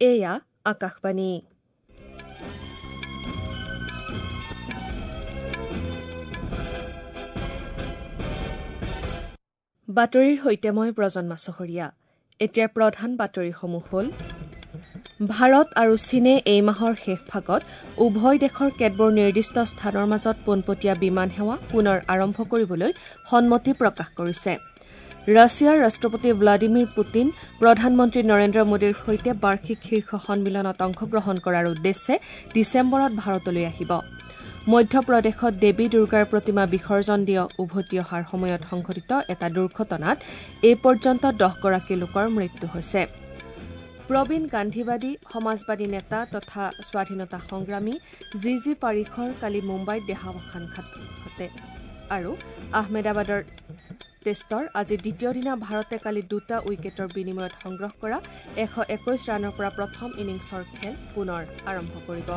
এয়া আকাশবাণী। বাতৰিৰ সৈতে মই ব্ৰজন মাছহৰীয়া। এতিয়াৰ প্ৰধান বাতৰিসমূহ হ'ল: ভাৰত আৰু চীনে এই মাহৰ শেষ ভাগত উভয় দেশৰ কেতবোৰ নিৰ্দিষ্ট স্থানৰ মাজত পোনপটীয়া বিমান সেৱা পুনৰ আৰম্ভ কৰিবলৈ সন্মতি প্ৰকাশ কৰিছে। ৰাছিয়াৰ ৰাষ্ট্ৰপতি ভ্লাদিমিৰ পুটিন প্ৰধানমন্ত্ৰী নৰেন্দ্ৰ মোদীৰ সৈতে বাৰ্ষিক শীৰ্ষ সন্মিলনত অংশগ্ৰহণ কৰাৰ উদ্দেশ্যে ডিচেম্বৰত ভাৰতলৈ আহিব। মধ্যপ্ৰদেশত দেৱী দুৰ্গাৰ প্ৰতিমা বিসৰ্জন দি উভতি অহাৰ সময়ত সংঘটিত এটা দুৰ্ঘটনাত এই পৰ্যন্ত 10গৰাকী লোকৰ মৃত্যু হৈছে। প্ৰবীণ গান্ধীবাদী সমাজবাদী নেতা তথা স্বাধীনতা সংগ্ৰামী জি জি পাৰিখৰ কালি মুম্বাইত দেহাৱসান ঘটে। আৰু আহমেদাবাদৰ টেষ্টৰ আজি দ্বিতীয় দিনা ভাৰতে কালি 2টা উইকেটৰ বিনিময়ত সংগ্ৰহ কৰা 121 ৰানৰ পৰা প্ৰথম ইনিংছৰ খেল পুনৰ আৰম্ভ কৰিব।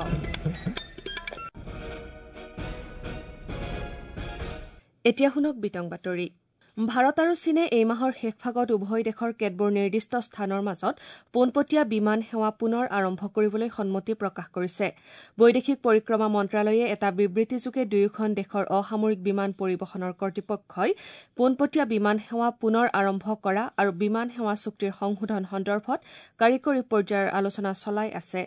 এতিয়া শুনক বিতং বাতৰি। ভাৰত আৰু চীনে এই মাহৰ শেষ ভাগত উভয় দেশৰ কেতবোৰ নিৰ্দিষ্ট স্থানৰ মাজত পোনপটীয়া বিমান সেৱা পুনৰ আৰম্ভ কৰিবলৈ সন্মতি প্ৰকাশ কৰিছে। বৈদেশিক পৰিক্ৰমা মন্ত্ৰালয়ে এটা বিবৃতিযোগে দুয়োখন দেশৰ অসামৰিক বিমান পৰিবহণৰ কৰ্তৃপক্ষই পোনপটীয়া বিমান সেৱা পুনৰ আৰম্ভ কৰা আৰু বিমান সেৱা চুক্তিৰ সংশোধন সন্দৰ্ভত কাৰিকৰী পৰ্যায়ৰ আলোচনা চলাই আছে।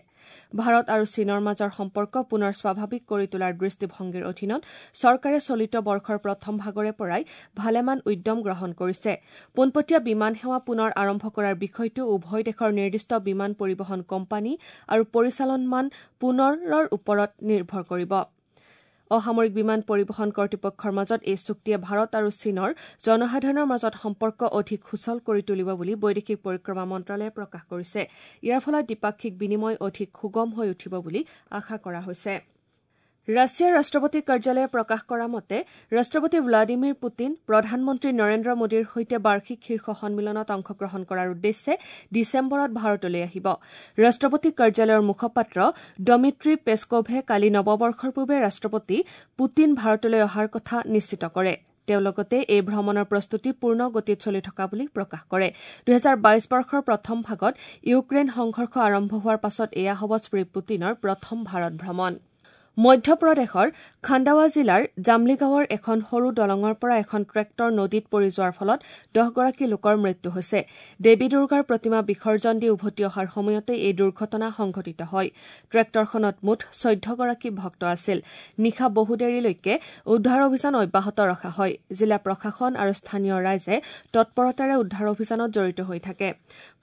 ভাৰত আৰু চীনৰ মাজৰ সম্পৰ্ক পুনৰ স্বাভাৱিক কৰি তোলাৰ দৃষ্টিভংগীৰ অধীনত চৰকাৰে চলিত বৰ্ষৰ প্ৰথম ভাগৰে পৰাই ভালেমান উদ্যম গ্ৰহণ কৰিছে। পোনপটীয়া বিমান সেৱা পুনৰ আৰম্ভ কৰাৰ বিষয়টো উভয় দেশৰ নিৰ্দিষ্ট বিমান পৰিবহণ কোম্পানী আৰু পৰিচালনমান পুনৰৰ ওপৰত নিৰ্ভৰ কৰিব। অসামৰিক বিমান পৰিবহণ কৰ্তৃপক্ষৰ মাজত এই চুক্তিয়ে ভাৰত আৰু চীনৰ জনসাধাৰণৰ মাজত সম্পৰ্ক অধিক সুচল কৰি তুলিব বুলি বৈদেশিক পৰিক্ৰমা মন্ত্ৰালয়ে প্ৰকাশ কৰিছে। ইয়াৰ ফলত দ্বিপাক্ষিক বিনিময় অধিক সুগম হৈ উঠিব বুলি আশা কৰা হৈছে। ৰাছিয়াৰ ৰাষ্ট্ৰপতি কাৰ্যালয়ে প্ৰকাশ কৰা মতে ৰাষ্ট্ৰপতি ভ্লাদিমিৰ পুটিন প্ৰধানমন্ত্ৰী নৰেন্দ্ৰ মোদীৰ সৈতে বাৰ্ষিক শীৰ্ষ সন্মিলনত অংশগ্ৰহণ কৰাৰ উদ্দেশ্যে ডিচেম্বৰত ভাৰতলৈ আহিব। ৰাষ্ট্ৰপতি কাৰ্যালয়ৰ মুখপাত্ৰ ডমিট্ৰি পেস্কোভে কালি নৱবৰ্ষৰ পূৰ্বে ৰাষ্ট্ৰপতি পুটিন ভাৰতলৈ অহাৰ কথা নিশ্চিত কৰে। তেওঁ লগতে এই ভ্ৰমণৰ প্ৰস্তুতি পূৰ্ণ গতিত চলি থকা বুলি প্ৰকাশ কৰে। 2022 বৰ্ষৰ প্ৰথম ভাগত ইউক্ৰেইন সংঘৰ্ষ আৰম্ভ হোৱাৰ পাছত এয়া হ'ব শ্ৰী পুটিনৰ প্ৰথম ভাৰত ভ্ৰমণ। মধ্যপ্ৰদেশৰ খাণ্ডাৱা জিলাৰ জামলিগাঁৱৰ এখন সৰু দলঙৰ পৰা এখন ট্ৰেক্টৰ নদীত পৰি যোৱাৰ ফলত 10গৰাকী লোকৰ মৃত্যু হৈছে। দেৱী দুৰ্গাৰ প্ৰতিমা বিসৰ্জন দি উভতি অহাৰ সময়তে এই দুৰ্ঘটনা সংঘটিত হয়। ট্ৰেক্টৰখনত মুঠ 14গৰাকী ভক্ত আছিল। নিশা বহুদেৰিলৈকে উদ্ধাৰ অভিযান অব্যাহত ৰখা হয়। জিলা প্ৰশাসন আৰু স্থানীয় ৰাইজে তৎপৰতাৰে উদ্ধাৰ অভিযানত জড়িত হৈ থাকে।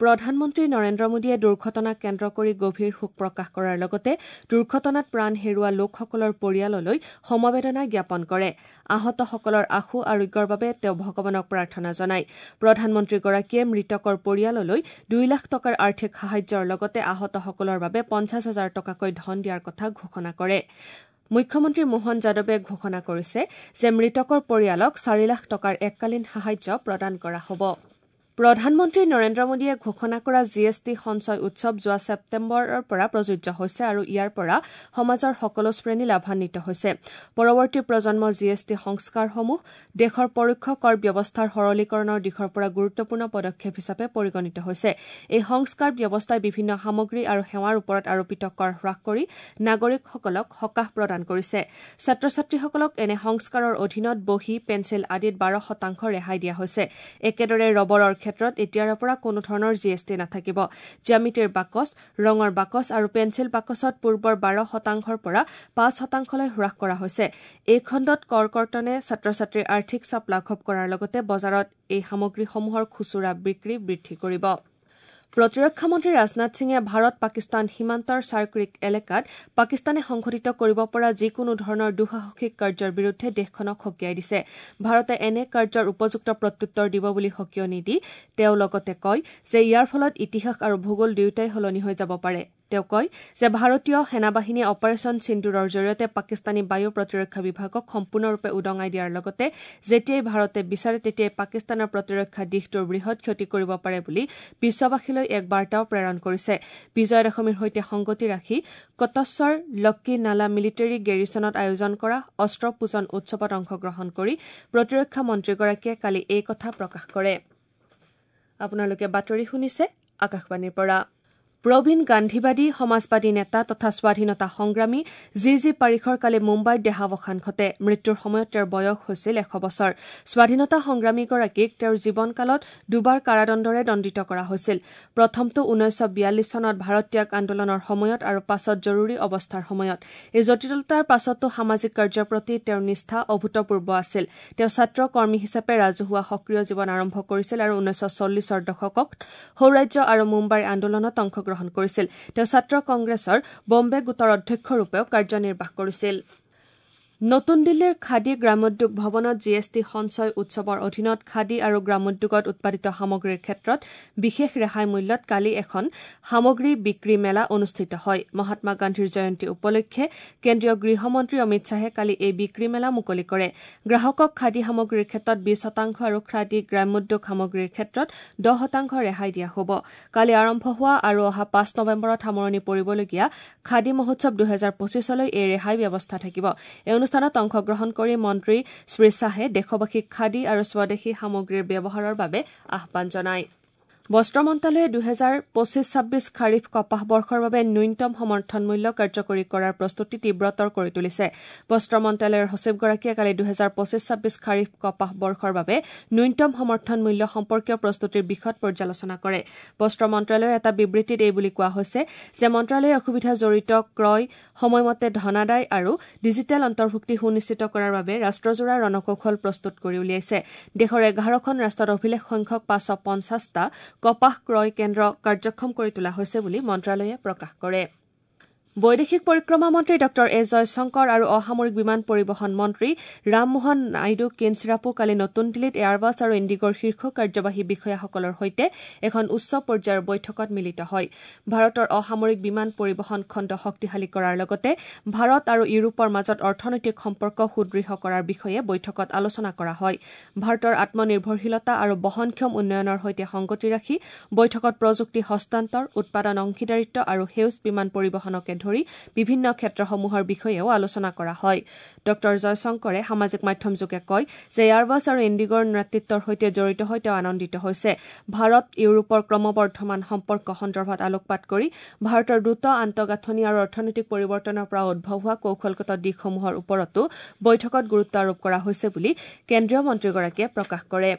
প্ৰধানমন্ত্ৰী নৰেন্দ্ৰ মোদীয়ে দুৰ্ঘটনাক কেন্দ্ৰ কৰি গভীৰ শোক প্ৰকাশ কৰাৰ লগতে দুৰ্ঘটনাত প্ৰাণ হেৰুওৱা লোকসকলৰ পৰিয়াললৈ সমবেদনা জ্ঞাপন কৰে। আহতসকলৰ আশু আৰোগ্যৰ বাবে তেওঁ ভগৱানক প্ৰাৰ্থনা জনায়। প্ৰধানমন্ত্ৰীগৰাকীয়ে মৃতকৰ পৰিয়াললৈ 2 লাখ টকাৰ আৰ্থিক সাহায্যৰ লগতে আহতসকলৰ বাবে 50 হাজাৰ টকাকৈ ধন দিয়াৰ কথা ঘোষণা কৰে। মুখ্যমন্ত্ৰী মোহন যাদৱে ঘোষণা কৰিছে যে মৃতকৰ পৰিয়ালক 4 লাখ টকাৰ এককালীন সাহায্য প্ৰদান কৰা হ'ব। প্ৰধানমন্ত্ৰী নৰেন্দ্ৰ মোদীয়ে ঘোষণা কৰা জি এছ টি সঞ্চয় উৎসৱ যোৱা ছেপ্টেম্বৰৰ পৰা প্ৰযোজ্য হৈছে আৰু ইয়াৰ পৰা সমাজৰ সকলো শ্ৰেণী লাভান্বিত হৈছে। পৰৱৰ্তী প্ৰজন্ম জি এছ টি সংস্কাৰসমূহ দেশৰ পৰোক্ষ কৰ ব্যৱস্থাৰ সৰলীকৰণৰ দিশৰ পৰা গুৰুত্বপূৰ্ণ পদক্ষেপ হিচাপে পৰিগণিত হৈছে। এই সংস্কাৰ ব্যৱস্থাই বিভিন্ন সামগ্ৰী আৰু সেৱাৰ ওপৰত আৰোপিত কৰ হ্ৰাস কৰি নাগৰিকসকলক সকাহ প্ৰদান কৰিছে। ছাত্ৰ ছাত্ৰীসকলক এনে সংস্কাৰৰ অধীনত বহী, পেঞ্চিল আদিত 12% ৰেহাই দিয়া হৈছে। একেদৰে ৰবৰৰ ক্ষেত্ৰত এতিয়াৰে পৰা কোনো ধৰণৰ জি এছ টি নাথাকিব। জ্যামিতিৰ বাকচ, ৰঙৰ বাকচ আৰু পেঞ্চিল বাকচত পূৰ্বৰ 12%ৰ পৰা 5%লৈ হ্ৰাস কৰা হৈছে। এই খণ্ডত কৰ কৰ্তনে ছাত্ৰ ছাত্ৰীৰ আৰ্থিক চাপ লাঘৱ কৰাৰ লগতে বজাৰত এই সামগ্ৰীসমূহৰ খুচুৰা বিক্ৰী বৃদ্ধি কৰিব। প্ৰতিৰক্ষা মন্ত্ৰী ৰাজনাথ সিঙে ভাৰত পাকিস্তান সীমান্তৰ চাৰক্ৰিক এলেকাত পাকিস্তানে সংঘটিত কৰিব পৰা যিকোনো ধৰণৰ দুঃসাহসিক কাৰ্যৰ বিৰুদ্ধে দেশখনক সকীয়াই দিছে। ভাৰতে এনে কাৰ্যৰ উপযুক্ত প্ৰত্যুত্তৰ দিব বুলি সকীয়নি দি তেওঁ লগতে কয় যে ইয়াৰ ফলত ইতিহাস আৰু ভূগোল দুয়োটাই সলনি হৈ যাব পাৰে। তেওঁ কয় যে ভাৰতীয় সেনাবাহিনীয়ে অপাৰেচন সিন্দুৰৰ জৰিয়তে পাকিস্তানী বায়ু প্ৰতিৰক্ষা বিভাগক সম্পূৰ্ণৰূপে উদঙাই দিয়াৰ লগতে যেতিয়াই ভাৰতে বিচাৰে তেতিয়াই পাকিস্তানৰ প্ৰতিৰক্ষা দিশটোৰ বৃহৎ ক্ষতি কৰিব পাৰে বুলি বিশ্ববাসীলৈ এক বাৰ্তাও প্ৰেৰণ কৰিছে। বিজয়া দশমীৰ সৈতে সংগতি ৰাখি কটছৰ লক্কি নালা মিলিটেৰী গেৰিছনত আয়োজন কৰা অস্ত্ৰ পূজন উৎসৱত অংশগ্ৰহণ কৰি প্ৰতিৰক্ষা মন্ত্ৰীগৰাকীয়ে কালি এই কথা প্ৰকাশ কৰে। আপোনালোকে বাতৰি শুনিছে আকাশবাণীৰ পৰা। প্ৰবীণ গান্ধীবাদী সমাজবাদী নেতা তথা স্বাধীনতা সংগ্ৰামী জি জি পাৰিখৰ কালি মুম্বাইত দেহাৱসান ঘটে। মৃত্যুৰ সময়ত তেওঁৰ বয়স হৈছিল 100 বছৰ। স্বাধীনতা সংগ্ৰামীগৰাকীক তেওঁৰ জীৱনকালত দুবাৰ কাৰাদণ্ডৰে দণ্ডিত কৰা হৈছিল। প্ৰথমটো 1942 চনত ভাৰত ত্যাগ আন্দোলনৰ সময়ত আৰু পাছত জৰুৰী অৱস্থাৰ সময়ত। এই জটিলতাৰ পাছতো সামাজিক কাৰ্যৰ প্ৰতি তেওঁৰ নিষ্ঠা অভূতপূৰ্ব আছিল। তেওঁ ছাত্ৰ কৰ্মী হিচাপে ৰাজহুৱা সক্ৰিয় জীৱন আৰম্ভ কৰিছিল আৰু 1940ৰ দশকত সৌৰাজ্য আৰু মুম্বাইৰ আন্দোলনত অংশগ্ৰহণ কৰিছিল। তেওঁ ছাত্ৰ কংগ্ৰেছৰ বম্বে গোটৰ অধ্যক্ষৰূপেও কাৰ্যনিৰ্বাহ কৰিছিল। নতুন দিল্লীৰ খাদী গ্ৰামোদ্যোগ ভৱনত জি এছ টি সঞ্চয় উৎসৱৰ অধীনত খাদী আৰু গ্ৰামোদ্যোগত উৎপাদিত সামগ্ৰীৰ ক্ষেত্ৰত বিশেষ ৰেহাই মূল্যত কালি এখন সামগ্ৰী বিক্ৰী মেলা অনুষ্ঠিত হয়। মহাত্মা গান্ধীৰ জয়ন্তী উপলক্ষে কেন্দ্ৰীয় গৃহমন্ত্ৰী অমিত শ্বাহে কালি এই বিক্ৰী মেলা মুকলি কৰে। গ্ৰাহকক খাদী সামগ্ৰীৰ ক্ষেত্ৰত 20% আৰু খাদী গ্ৰামোদ্যোগ সামগ্ৰীৰ ক্ষেত্ৰত 10% ৰেহাই দিয়া হ'ব। কালি আৰম্ভ হোৱা আৰু অহা 5 নৱেম্বৰত সামৰণি পৰিবলগীয়া খাদী মহোৎসৱ 2025লৈ এই ৰেহাই ব্যৱস্থা থাকিব। এই অনুষ্ঠানত অংশগ্ৰহণ কৰি মন্ত্ৰী শ্ৰী শ্বাহে দেশবাসীক খাদী আৰু স্বদেশী সামগ্ৰীৰ ব্যৱহাৰৰ বাবে আহ্বান জনায়। বস্ত্ৰ মন্ত্ৰালয়ে 2025-26 খাৰিফ কপাহ বৰ্ষৰ বাবে ন্যূনতম সমৰ্থন মূল্য কাৰ্যকৰী কৰাৰ প্ৰস্তুতি তীব্ৰতৰ কৰি তুলিছে। বস্ত্ৰ মন্ত্ৰালয়ৰ সচিবগৰাকীয়ে কালি 2025-26 খাৰিফ কপাহ বৰ্ষৰ বাবে ন্যূনতম সমৰ্থন মূল্য সম্পৰ্কীয় প্ৰস্তুতিৰ বিশদ পৰ্যালোচনা কৰে। বস্ত্ৰ মন্ত্ৰালয়ৰ এটা বিবৃতিত এই বুলি কোৱা হৈছে যে মন্ত্ৰালয়ে অসুবিধা জড়িত ক্ৰয়, সময়মতে ধনাদায় আৰু ডিজিটেল অন্তৰ্ভুক্তি সুনিশ্চিত কৰাৰ বাবে ৰাষ্ট্ৰজোৰা ৰণকৌশল প্ৰস্তুত কৰি উলিয়াইছে। দেশৰ 11খন ৰাষ্ট্ৰত অভিলেখ সংখ্যক 550টা কপাহ ক্ৰয় কেন্দ্ৰ কাৰ্যক্ষম কৰি তোলা হৈছে বুলি মন্ত্ৰালয়ে প্ৰকাশ কৰে। বৈদেশিক পৰিক্ৰমা মন্ত্ৰী ডঃ এছ জয়শংকৰ আৰু অসামৰিক বিমান পৰিবহণ মন্ত্ৰী ৰামমোহন নাইডু কিঞ্চৰাপু কালি নতুন দিল্লীত এয়াৰবাছ আৰু ইণ্ডিগ'ৰ শীৰ্ষ কাৰ্যবাহী বিষয়াসকলৰ সৈতে এখন উচ্চ পৰ্যায়ৰ বৈঠকত মিলিত হয়। ভাৰতৰ অসামৰিক বিমান পৰিবহণ খণ্ড শক্তিশালী কৰাৰ লগতে ভাৰত আৰু ইউৰোপৰ মাজত অৰ্থনৈতিক সম্পৰ্ক সুদৃঢ় কৰাৰ বিষয়ে বৈঠকত আলোচনা কৰা হয়। ভাৰতৰ আত্মনিৰ্ভৰশীলতা আৰু বহনক্ষম উন্নয়নৰ সৈতে সংগতি ৰাখি বৈঠকত প্ৰযুক্তি হস্তান্তৰ, উৎপাদন অংশীদাৰিত্ব আৰু সেউজ বিমান পৰিবহণকে ধৰি বিভিন্ন ক্ষেত্ৰসমূহৰ বিষয়েও আলোচনা কৰা হয়। ডঃ জয়শংকৰে সামাজিক মাধ্যমযোগে কয় যে এয়াৰবাছ আৰু ইণ্ডিগ'ৰ নেতৃত্বৰ সৈতে জড়িত হৈ তেওঁ আনন্দিত হৈছে। ভাৰত ইউৰোপৰ ক্ৰমবৰ্ধমান সম্পৰ্ক সন্দৰ্ভত আলোকপাত কৰি ভাৰতৰ দ্ৰুত আন্তঃগাঁথনি আৰু অৰ্থনৈতিক পৰিৱৰ্তনৰ পৰা উদ্ভৱ হোৱা কৌশলগত দিশসমূহৰ ওপৰতো বৈঠকত গুৰুত্ব আৰোপ কৰা হৈছে বুলি কেন্দ্ৰীয় মন্ত্ৰীগৰাকীয়ে প্ৰকাশ কৰে।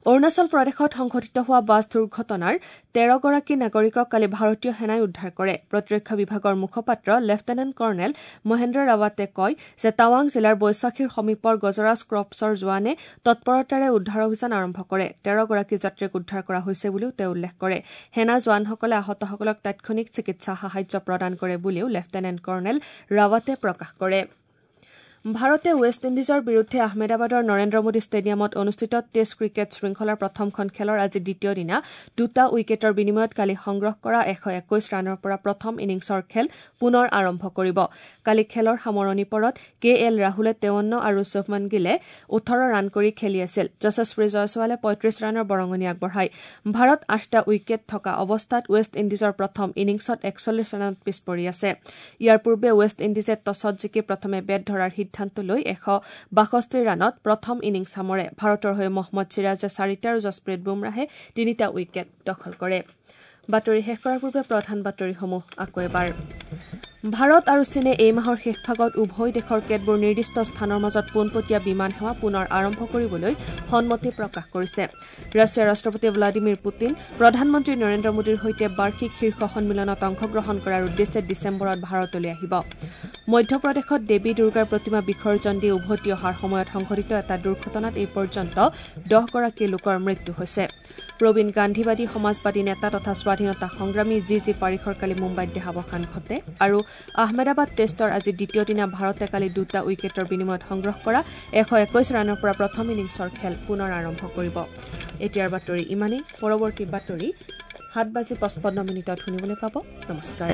অৰুণাচল প্ৰদেশত সংঘটিত হোৱা বাছ দুৰ্ঘটনাৰ 13গৰাকী নাগৰিকক কালি ভাৰতীয় সেনাই উদ্ধাৰ কৰে। প্ৰতিৰক্ষা বিভাগৰ মুখপাত্ৰ লেফটেনেণ্ট কৰ্ণেল মহেন্দ্ৰ ৰাৱাটে কয় যে টাৱাং জিলাৰ বৈশাখীৰ সমীপৰ গজৰাজ ক্ৰপছৰ জোৱানে তৎপৰতাৰে উদ্ধাৰ অভিযান আৰম্ভ কৰে। 13গৰাকী যাত্ৰীক উদ্ধাৰ কৰা হৈছে বুলিও তেওঁ উল্লেখ কৰে। সেনা জোৱানসকলে আহতসকলক তাৎক্ষণিক চিকিৎসা সাহায্য প্ৰদান কৰে বুলিও লেফটেনেণ্ট কৰ্ণেল ৰাৱাটে প্ৰকাশ কৰে। ভাৰতে ৱেষ্ট ইণ্ডিজৰ বিৰুদ্ধে আহমেদাবাদৰ নৰেন্দ্ৰ মোদী ষ্টেডিয়ামত অনুষ্ঠিত টেষ্ট ক্ৰিকেট শৃংখলাৰ প্ৰথমখন খেলৰ আজি দ্বিতীয় দিনা 2টা উইকেটৰ বিনিময়ত কালি সংগ্ৰহ কৰা 121 ৰানৰ পৰা প্ৰথম ইনিংছৰ খেল পুনৰ আৰম্ভ কৰিব। কালি খেলৰ সামৰণি পৰত কে এল ৰাহুলে 53 আৰু শুভমন গিলে 18 ৰান কৰি খেলি আছিল। যশস্বী জয়ছোৱালে 35 ৰানৰ বৰঙণি আগবঢ়ায়। ভাৰত 8টা উইকেট থকা অৱস্থাত ৱেষ্ট ইণ্ডিজৰ প্ৰথম ইনিংছত 41 ৰানত পিছ পৰি আছে। ইয়াৰ পূৰ্বে ৱেষ্ট ইণ্ডিজে টছত জিকি প্ৰথমে বেট ধৰাৰ সিদ্ধান্ত লৈ 162 ৰানত প্ৰথম ইনিংছ সামৰে। ভাৰতৰ হৈ মহম্মদ চিৰাজে 4টা আৰু জছপ্ৰীত বুমৰাহে 3টা উইকেট দখল কৰে। বাতৰি শেষ কৰাৰ পূৰ্বে প্ৰধান বাতৰিসমূহ আকৌ এবাৰ। ভাৰত আৰু চীনে এই মাহৰ শেষ ভাগত উভয় দেশৰ কেতবোৰ নিৰ্দিষ্ট স্থানৰ মাজত পোনপটীয়া বিমান সেৱা পুনৰ আৰম্ভ কৰিবলৈ সন্মতি প্ৰকাশ কৰিছে। ৰাছিয়াৰ ৰাষ্ট্ৰপতি ভ্লাদিমিৰ পুটিন প্ৰধানমন্ত্ৰী নৰেন্দ্ৰ মোদীৰ সৈতে বাৰ্ষিক শীৰ্ষ সন্মিলনত অংশগ্ৰহণ কৰাৰ উদ্দেশ্যে ডিচেম্বৰত ভাৰতলৈ আহিব। মধ্যপ্ৰদেশত দেৱী দুৰ্গাৰ প্ৰতিমা বিসৰ্জন দি উভতি অহাৰ সময়ত সংঘটিত এটা দুৰ্ঘটনাত এই পৰ্যন্ত 10গৰাকী লোকৰ মৃত্যু হৈছে। প্ৰবীণ গান্ধীবাদী সমাজবাদী নেতা তথা স্বাধীনতা সংগ্ৰামী জি জি পাৰিখৰ কালি মুম্বাইত দেহাৱসান ঘটে। আৰু আহমেদাবাদ টেষ্টৰ আজি দ্বিতীয় দিনা ভাৰতে কালি 2টা উইকেটৰ বিনিময়ত সংগ্ৰহ কৰা 121 ৰানৰ পৰা প্ৰথম ইনিংছৰ খেল পুনৰ আৰম্ভ কৰিব। এতিয়াৰ বাতৰি ইমানেই। পৰৱৰ্তী বাতৰি 7:55 শুনিবলৈ পাব। নমস্কাৰ।